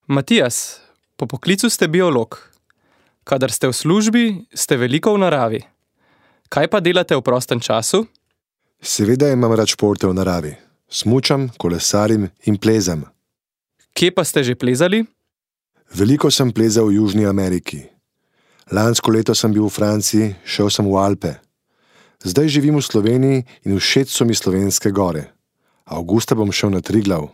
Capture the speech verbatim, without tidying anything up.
Matijas, po poklicu ste biolog. Kadar ste v službi, ste veliko v naravi. Kaj pa delate v prostem času? Seveda imam rad športe v naravi. Smučam, kolesarim in plezam. Kje pa ste že plezali? Veliko sem plezal v Južni Ameriki. Lansko leto sem bil v Franciji, šel sem v Alpe. Zdaj živim v Sloveniji in všeč so mi slovenske gore. Avgusta bom šel na Triglav.